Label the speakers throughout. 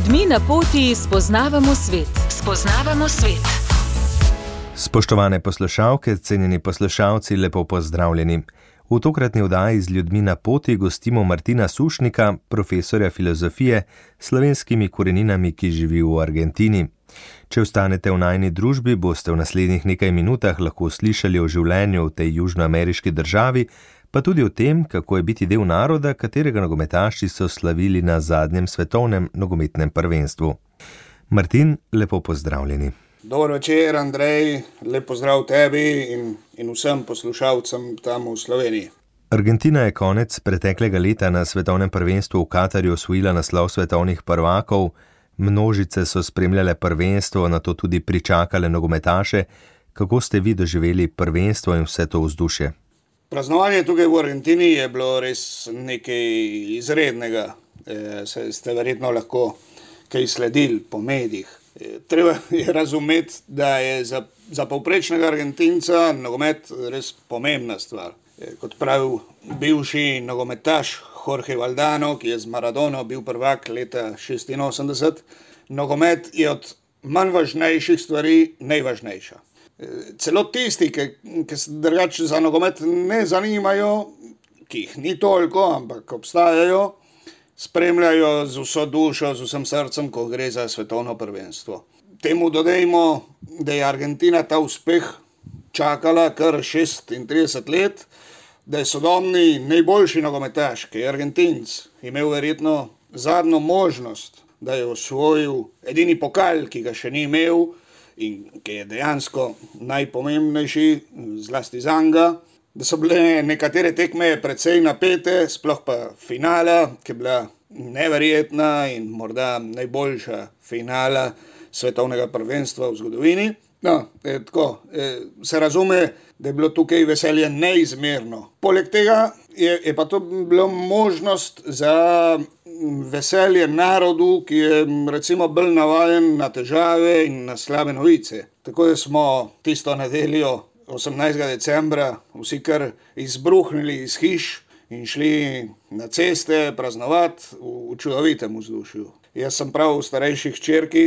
Speaker 1: ljudmi na poti spoznavamo svet.
Speaker 2: Spoštovane poslušalke, cenjeni poslušalci, lepo pozdravljeni. V tokratni oddaji z ljudmi na poti gostimo Martina Sušnika, profesorja filozofije s slovenskimi koreninami, ki živi v Argentini. Če ostanete v najini družbi, boste v naslednjih nekaj minutah lahko slišali o življenju v tej južnoameriški državi, pa tudi o tem, kako je biti del naroda, katerega nogometaši so slavili na zadnjem svetovnem nogometnem prvenstvu. Martin, lepo pozdravljeni.
Speaker 3: Dober večer, Andrej, lep pozdrav tebi in vsem poslušalcem tam v Sloveniji.
Speaker 2: Argentina je konec preteklega leta na svetovnem prvenstvu v Katarju osvojila naslov svetovnih prvakov, množice so spremljale prvenstvo, nato tudi pričakale nogometaše. Kako ste vi doživeli prvenstvo in vse to vzdušje?
Speaker 3: Praznovanje tukaj v Argentini je bilo res nekaj izrednega. Ste verjetno lahko kaj sledili po medijih. Treba je razumeti, da je za povprečnega Argentinca nogomet res pomembna stvar. Kot pravi bivši nogometaš Jorge Valdano, ki je z Maradono bil prvak leta 86, nogomet je od manj važnejših stvari najvažnejša. Celo tisti, ki se drugače za nogomet ne zanimajo, ki jih ni toliko, ampak obstajajo, spremljajo z vso dušo, z vsem srcem, ko gre za svetovno prvenstvo. Temu dodajmo, da je Argentina ta uspeh čakala kar 36 let, da je sodobni najboljši nogometaš, ki je Argentinc, imel verjetno zadnjo možnost, da je osvojil edini pokal, ki ga še ni imel in ki je dejansko najpomembnejši, zlasti zanga, da so bile nekatere tekme precej napete, sploh pa finala, ki je bila neverjetna in morda najboljša finala svetovnega prvenstva v zgodovini. Se razume, da je bilo tukaj veselje neizmerno. Poleg tega je pa to bilo možnost za veselje narodu, ki je recimo bolj navajen na težave in na slabe novice. Tako da smo tisto nedeljo 18. decembra vsi kar izbruhnili iz hiš in šli na ceste praznovati v čudovitem vzdušju. Jaz sem prav v starejši hčerki,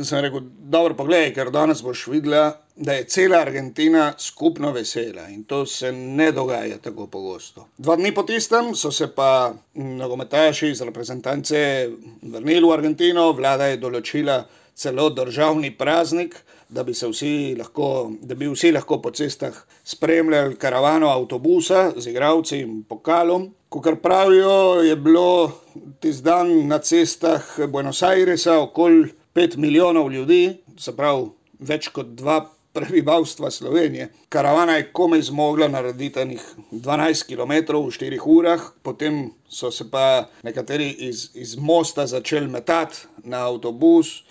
Speaker 3: sem rekel, dobro poglej, ker danes boš videla, da je cela Argentina skupno vesela in to se ne dogaja tako pogosto. 2 dni po tistem so se pa nogometaši iz reprezentance vrnili v Argentino, vlada je določila celo državni praznik, da bi vsi lahko po cestah spremljali karavano avtobusa z igralci in pokalom. Kakor pravijo, je bilo tisti dan na cestah Buenos Airesa okoli 5 milijonov ljudi, se pravi več kot 2 prebivalstva Slovenije. Karavana je komaj zmogla narediti 12 kilometrov v 4 urah, potem so se pa nekateri iz mosta začeli metati na avtobus,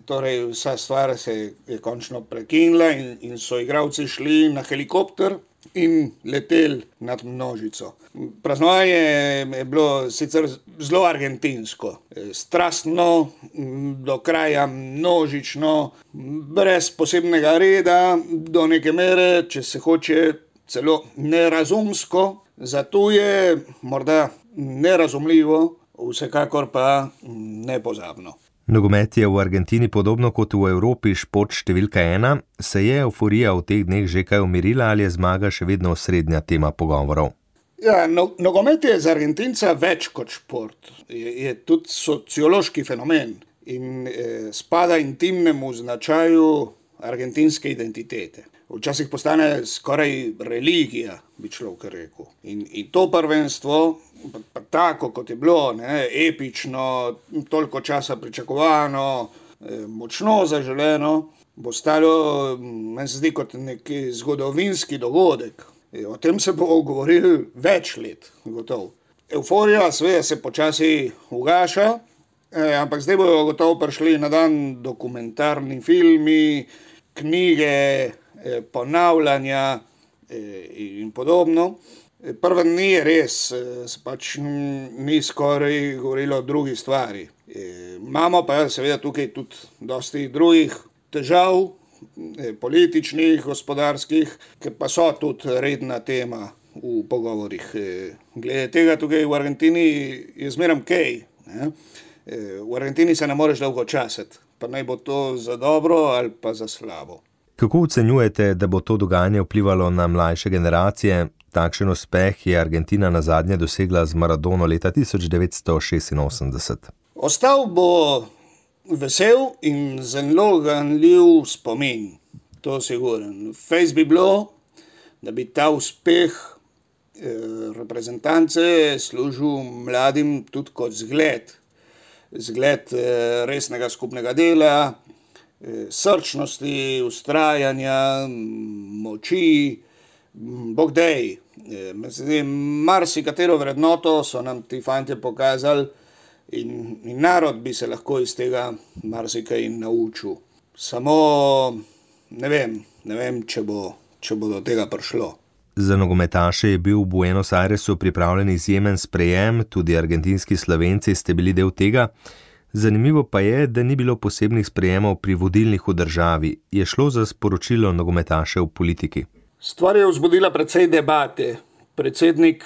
Speaker 3: torej vsa stvar se je končno prekinila in so igralci šli na helikopter in leteli nad množico. Praznovanje je bilo sicer zelo argentinsko, strastno, do kraja množično, brez posebnega reda, do neke mere, če se hoče, celo nerazumsko, zato je morda nerazumljivo, vsekakor pa nepozabno.
Speaker 2: Nogomet je v Argentini podobno kot v Evropi šport številka 1. Se je evforija v teh dneh že kaj umirila ali je zmaga še vedno osrednja tema pogovorov?
Speaker 3: Ja, nogomet je za Argentinca več kot šport. Je tudi sociološki fenomen in spada intimnemu značaju argentinske identitete. Včasih postane skoraj religija, bi človek rekel. In to prvenstvo, pa tako kot je bilo, epično, toliko časa pričakovano, močno zaželeno, bo stalo, meni se zdi, kot neki zgodovinski dogodek. O tem se bo govorili več let, gotovo. Evforija seveda se počasi ugaša, ampak zdaj bojo gotovo prišli na dan dokumentarni filmi, knjige, ponavljanja in podobno. Prve dni je res, se pač ni skoraj govorilo o drugi stvari. Imamo pa seveda tukaj tudi dosti drugih težav, političnih, gospodarskih, ki pa so tudi redna tema v pogovorih. Glede tega tukaj v Argentini je zmeraj kaj. V Argentini se ne moreš dolgo časiti, pa naj bo to za dobro ali pa za slabo.
Speaker 2: Kako ocenjujete, da bo to dogajanje vplivalo na mlajše generacije? Takšen uspeh je Argentina nazadnje dosegla z Maradono leta 1986.
Speaker 3: Ostal bo vesel in zelo ganljiv spomin, to siguren. Fejs bi bilo, da bi ta uspeh reprezentance služil mladim tudi kot zgled resnega skupnega dela, srčnosti, vztrajanja, moči, Bog dej. Marsikatero vrednoto so nam ti fantje pokazali in narod bi se lahko iz tega marsikaj naučil. Samo ne vem, če bo do tega prišlo.
Speaker 2: Za nogometaše je bil v Buenos Airesu pripravljen izjemen sprejem, tudi argentinski Slovenci ste bili del tega. Zanimivo pa je, da ni bilo posebnih sprejemov pri vodilnih v državi. Je šlo za sporočilo nogometaše v politiki?
Speaker 3: Stvar je vzbudila precej debate. Predsednik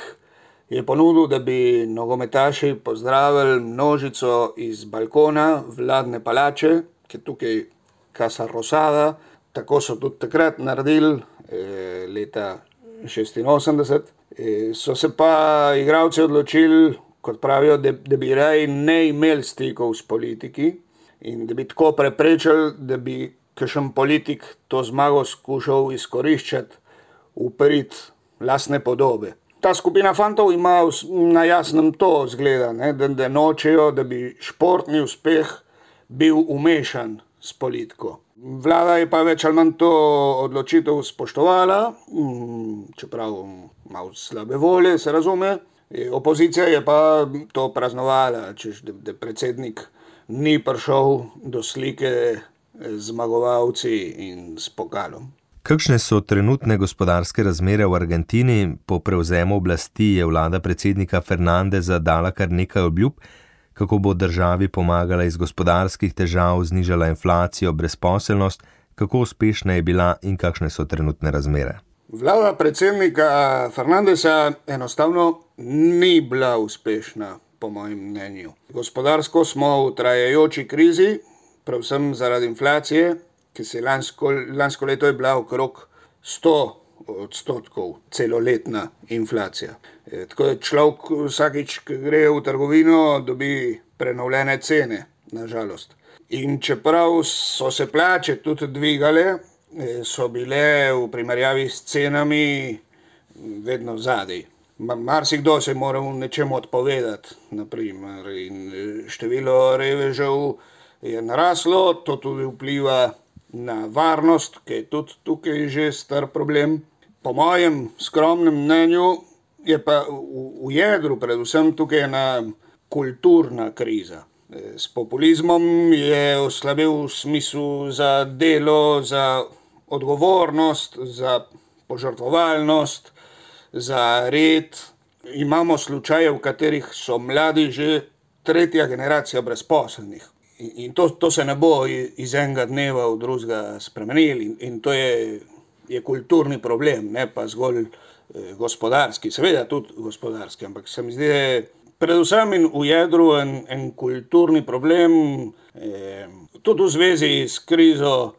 Speaker 3: je ponudil, da bi nogometaši pozdravili množico iz balkona vladne palače, ki je tukaj Casa Rosada. Tako so tudi takrat naredili, leta 86. So se pa igralci odločili, kot pravijo, da bi raje ne imeli stikov s politiki in da bi tako preprečili, da bi kakšen politik to zmago skušal izkoriščati v prid lastne podobe. Ta skupina fantov ima na jasnem to zgleda, da nočejo, da bi športni uspeh bil umešan s politiko. Vlada je pa več ali manj to odločitev spoštovala, čeprav malo slabe volje, se razume. Opozicija je pa to praznovala, češ da predsednik ni prišel do slike z zmagovalci in s pokalom.
Speaker 2: Kakšne so trenutne gospodarske razmere v Argentini? Po prevzemu oblasti je vlada predsednika Fernandeza dala kar nekaj obljub, kako bo državi pomagala iz gospodarskih težav, znižala inflacijo, brezposelnost, kako uspešna je bila in kakšne so trenutne razmere.
Speaker 3: Vlada predsednika Fernandeza enostavno ni bila uspešna, po mojem mnenju. Gospodarsko smo v trajajoči krizi, predvsem zaradi inflacije, ki se lansko leto je bila okrog 100% celoletna inflacija. Tako da človek vsakič, ko gre v trgovino, dobi prenovljene cene, nažalost. In čeprav so se plače tudi dvigale, so bile v primerjavi s cenami vedno zadaj. Marsikdo se mora v nečem odpovedati, naprimer, in število revežev je naraslo, to tudi vpliva na varnost, ki je tudi tukaj že star problem. Po mojem skromnem mnenju je pa v jedru predvsem tukaj ena kulturna kriza. S populizmom je oslabel smisel za delo, za odgovornost, za požrtvovalnost, za red. Imamo slučaje, v katerih so mladi že tretja generacija brezposelnih. In to se ne bo iz enega dneva v drugega spremenili. In to je kulturni problem, ne pa zgolj gospodarski. Seveda tudi gospodarski, ampak se mi zdi, da je predvsem in v jedru en kulturni problem, tudi v zvezi s krizo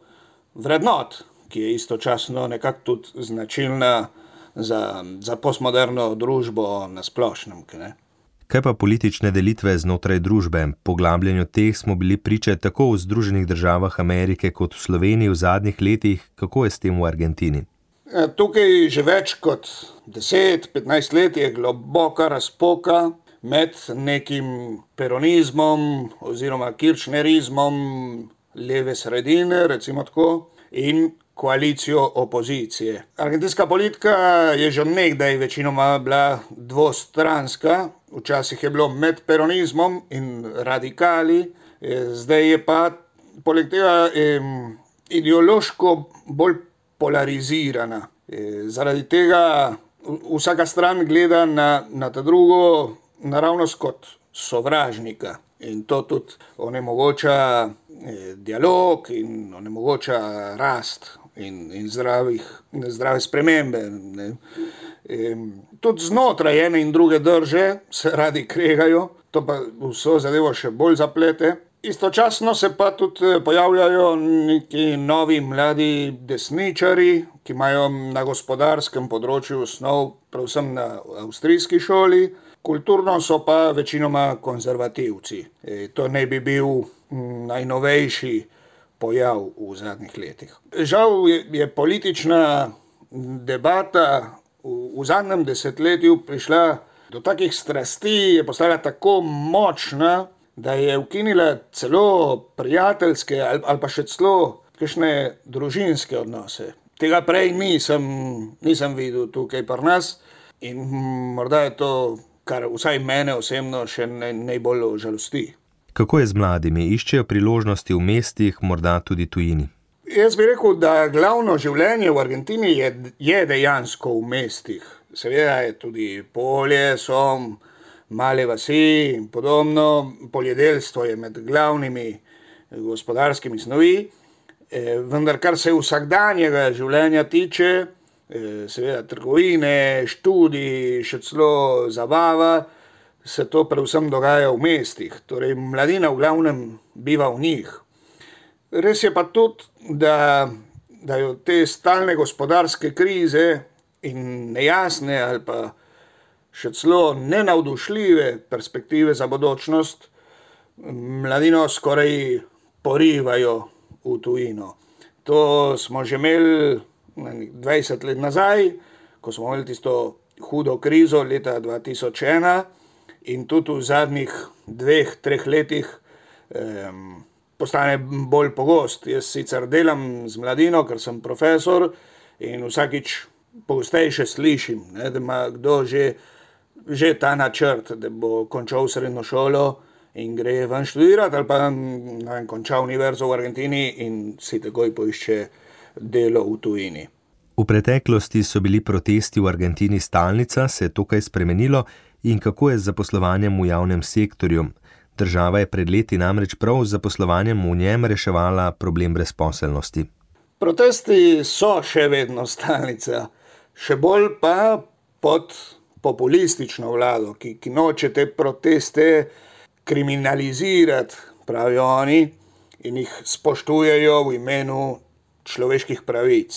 Speaker 3: vrednot, ki je istočasno nekako tudi značilna za postmoderno družbo na splošnem.
Speaker 2: Kaj pa politične delitve znotraj družbe? Poglabljanju teh smo bili priče tako v Združenih državah Amerike kot v Sloveniji v zadnjih letih. Kako je s tem v Argentini?
Speaker 3: Tukaj že več kot 10-15 let je globoka razpoka med nekim peronizmom oziroma kirchnerizmom leve sredine, recimo tako, in koalicijo opozicije. Argentinska politika je že nekdaj večinoma bila dvostranska, včasih je bilo med peronizmom in radikali, zdaj je pa poleg tega ideološko bolj polarizirana. Zaradi tega vsaka stran gleda na ta drugo naravnost kot sovražnika. In to tudi onemogoča dialog in onemogoča rast in zdrave spremembe. Tudi znotraj ene in druge drže se radi kregajo, to pa vso zadevo še bolj zaplete. Istočasno se pa tudi pojavljajo neki novi mladi desničari, ki imajo na gospodarskem področju osnov, predvsem na avstrijski šoli, kulturno so pa večinoma konzervativci. To naj bi bil najnovejši pojav v zadnjih letih. Žal je politična debata v zadnjem desetletju prišla do takih strasti, je postala tako močna, da je ukinila celo prijateljske ali pa še celo kakšne družinske odnose. Tega prej nisem videl tukaj pri nas in morda je to, kar vsaj mene osebno še najbolj žalosti.
Speaker 2: Kako je z mladimi? Iščejo priložnosti v mestih, morda tudi tujini?
Speaker 3: Jaz bi rekel, da glavno življenje v Argentini je dejansko v mestih. Seveda je tudi polje, so male vasi in podobno. Poljedelstvo je med glavnimi gospodarskimi snovi, vendar kar se vsakdanjega življenja tiče, seveda trgovine, študij, še celo zabava, se to predvsem dogaja v mestih. Torej, mladina v glavnem biva v njih. Res je pa tudi, da jo te stalne gospodarske krize in nejasne ali pa še celo nenavdušljive perspektive za bodočnost mladino skoraj porivajo v tujino. To smo že imeli 20 let nazaj, ko smo imeli tisto hudo krizo leta 2001 in tudi v zadnjih 2-3 letih postane bolj pogost. Jaz sicer delam z mladino, ker sem profesor in vsakič pogosteje slišim, da ima kdo že ta načrt, da bo končal srednjo šolo in gre ven študirati ali pa konča univerzo v Argentini in si takoj poišče delo v tujini.
Speaker 2: V preteklosti so bili protesti v Argentini stalnica, se je to kaj spremenilo in kako je z zaposlovanjem v javnem sektorju? Država je pred leti namreč prav z zaposlovanjem v njem reševala problem brezposelnosti.
Speaker 3: Protesti so še vedno stalnica, še bolj pa pod populistično vlado, ki noče te proteste kriminalizirati, pravijo oni, in jih spoštujejo v imenu človeških pravic.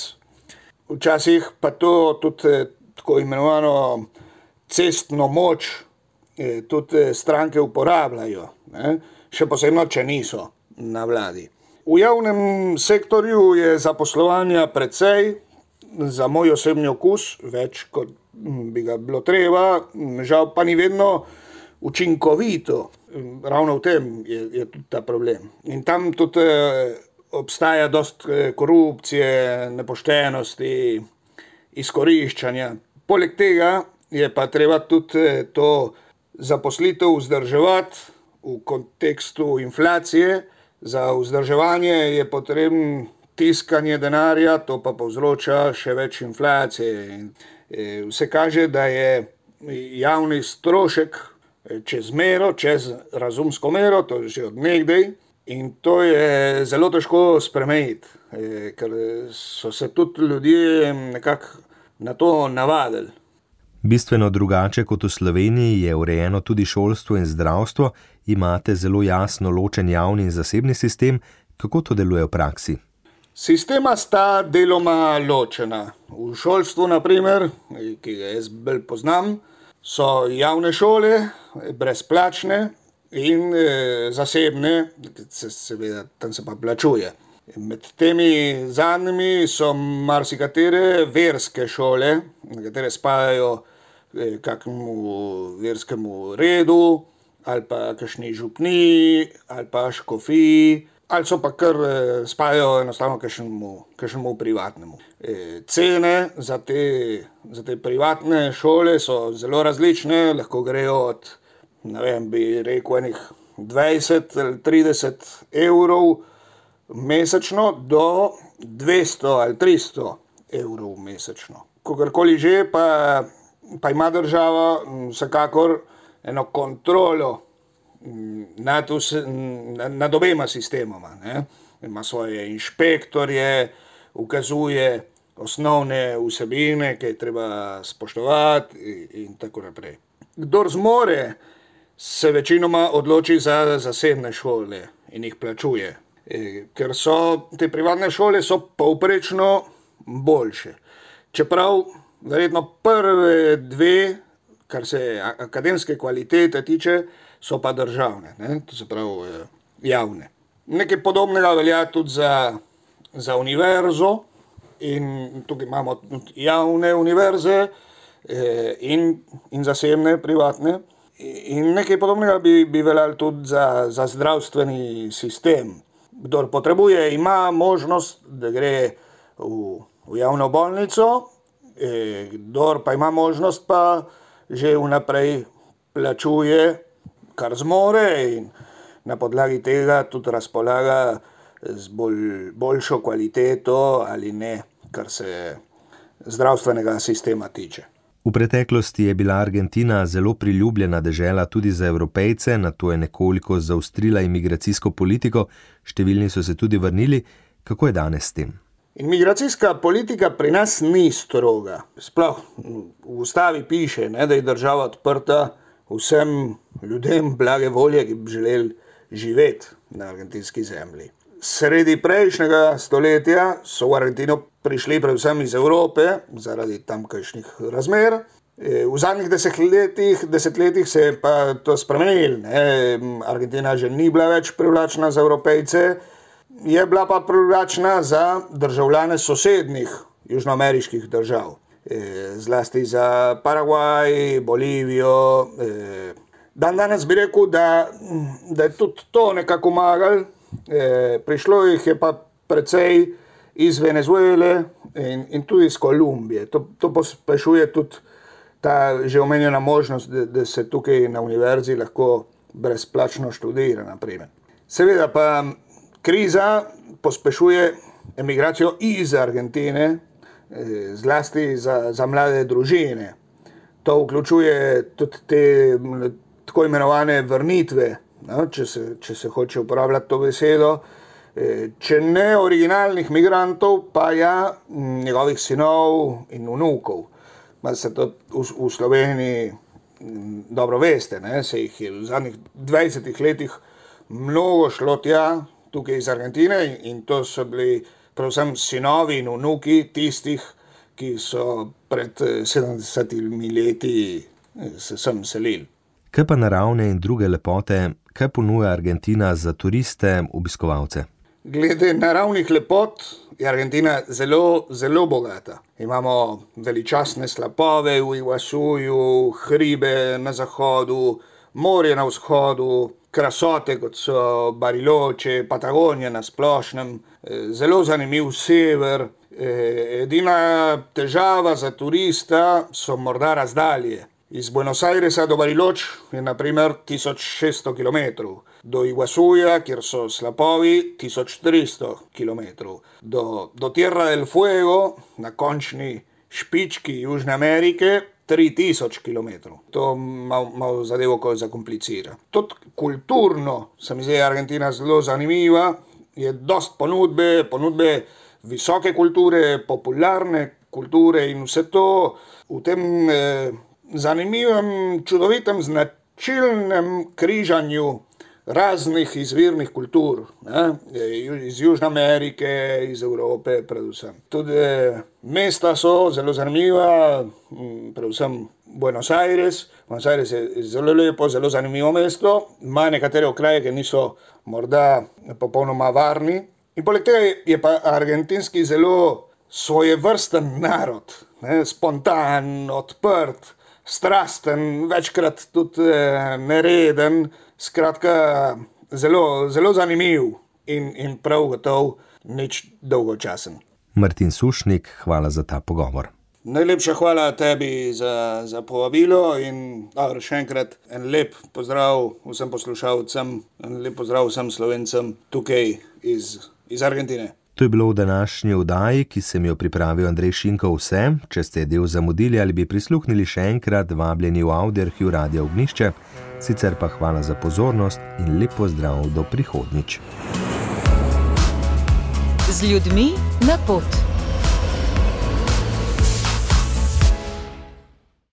Speaker 3: Včasih pa to tudi tako imenovano cestno moč tudi stranke uporabljajo, še posebno, če niso na vladi. V javnem sektorju je zaposlovanja precej, za moj osebni okus, več kot bi ga bilo treba, žal pa ni vedno učinkovito. Ravno v tem je tudi ta problem. In tam tudi obstaja dosti korupcije, nepoštenosti, izkoriščanja. Poleg tega je pa treba tudi to zaposlitev vzdrževati v kontekstu inflacije. Za vzdrževanje je potreben tiskanje denarja, to pa povzroča še več inflacije. Vse kaže, da je javni strošek čez mero, čez razumsko mero, to je že od nekdaj, in to je zelo težko spremeniti, ker so se tudi ljudje nekako na to navadili.
Speaker 2: Bistveno drugače kot v Sloveniji je urejeno tudi šolstvo in zdravstvo, imate zelo jasno ločen javni in zasebni sistem, kako to deluje v praksi?
Speaker 3: Sistema sta deloma ločena. V šolstvu, na primer, ki ga jaz bolj poznam, so javne šole, brezplačne in zasebne, seveda tam se pa plačuje. Med temi zadnjimi so marsikatere verske šole, na katere spadajo kakšnemu verskemu redu, ali pa kakšni župniji, ali pa škofiji, ali so pa kar spadajo enostavno kakšnemu privatnemu. Cene za te privatne šole so zelo različne, lahko grejo od, bi rekel, enih 20 ali 30 evrov mesečno do 200 ali 300 evrov mesečno. Kogarkoli že, pa ima država vsekakor eno kontrolo nad obema sistemoma. Ima svoje inšpektorje, ukazuje osnovne vsebine, ki je treba spoštovati in tako naprej. Kdor zmore se večinoma odloči za zasebne šole in jih plačuje. Ker so te privatne šole so povprečno boljše. Čeprav verjetno prve dve, kar se akademske kvalitete tiče, so pa državne, ne? To se pravi javne. Nekaj podobnega velja tudi za univerzo in tukaj imamo javne univerze in zasebne, privatne. In nekaj podobnega bi veljalo tudi za zdravstveni sistem. Kdor potrebuje, ima možnost, da gre v javno bolnico, kdor pa ima možnost, pa že vnaprej plačuje, kar zmore in na podlagi tega tudi razpolaga z boljšo kvaliteto ali ne, kar se zdravstvenega sistema tiče.
Speaker 2: V preteklosti je bila Argentina zelo priljubljena dežela tudi za Evropejce, nato je nekoliko zaostrila imigracijsko politiko, številni so se tudi vrnili. Kako je danes s tem?
Speaker 3: Imigracijska politika pri nas ni stroga. Sploh v ustavi piše, ne, da je država odprta vsem ljudem blage volje, ki bi želeli živeti na argentinski zemlji. Sredi prejšnjega stoletja so v Argentino prišli predvsem iz Evrope zaradi tamkajšnjih razmer. V zadnjih desetletjih se je pa to spremenilo. Argentina že ni bila več privlačna za Evropejce, je bila pa privlačna za državljane sosednjih južnoameriških držav. Zlasti za Paragvaj, Bolivijo. Danes bi rekel, da je tudi to nekako pomagalo. Prišlo jih je pa precej iz Venezuele in tudi iz Kolumbije. To pospešuje tudi ta že omenjena možnost, da se tukaj na univerzi lahko brezplačno študira, naprimer. Seveda pa kriza pospešuje emigracijo iz Argentine, zlasti za mlade družine. To vključuje tudi te tako imenovane vrnitve, no, če se hoče uporabljati to besedo, če ne originalnih migrantov, pa ja njegovih sinov in vnukov. Se to v Sloveniji dobro veste, ne? Se jih je v zadnjih 20 letih mnogo šlo tja, tukaj iz Argentine, in to so bili predvsem sinovi in vnuki tistih, ki so pred 70 leti se sem selili.
Speaker 2: Kaj pa naravne in druge lepote, kaj ponuja Argentina za turiste, obiskovalce?
Speaker 3: Glede naravnih lepot je Argentina zelo, zelo bogata. Imamo veličastne slapove v Iguazuju, hribe na zahodu, morje na vzhodu, krasote, kot so Bariloche, Patagonija na splošnem, zelo zanimiv sever. Edina težava za turista so morda razdalje. Iz Buenos Airesa do Bariloche je naprimer 1600 km, do Iguazuja, kjer so slapovi, 1300 km, do Tierra del Fuego, na končni špički Južne Amerike, 3000 km. To malo zadevo zakomplicira. Tudi kulturno se mi zdi Argentina zelo zanimiva, je dost ponudbe visoke kulture, popularne kulture in vse to v tem zanimivem, čudovitem, značilnem križanju raznih izvirnih kultur, ne? Iz Južne Amerike, iz Evrope predvsem. Tudi mesta so zelo zanimiva, predvsem Buenos Aires. Buenos Aires je zelo lepo, zelo zanimivo mesto, ima nekatere okraje, ki niso morda popolnoma varni. In poleg tega je pa argentinski zelo svojevrsten narod, ne? Spontan, odprt, strasten, večkrat tudi nereden, skratka zelo, zelo zanimiv in prav gotov nič dolgočasen.
Speaker 2: Martin Sušnik, hvala za ta pogovor.
Speaker 3: Najlepša hvala tebi za povabilo in še enkrat en lep pozdrav vsem poslušalcem, en lep pozdrav vsem Slovencem tukaj iz Argentine.
Speaker 2: To je bilo v današnji oddaji, ki sem jo pripravil Andrej Šinko vse. Če ste del zamudili ali bi prisluhnili še enkrat, vabljeni v Audioarhiv Radia Ognjišče. Sicer pa hvala za pozornost in lep pozdrav do prihodnjič.
Speaker 1: Z ljudmi na pot.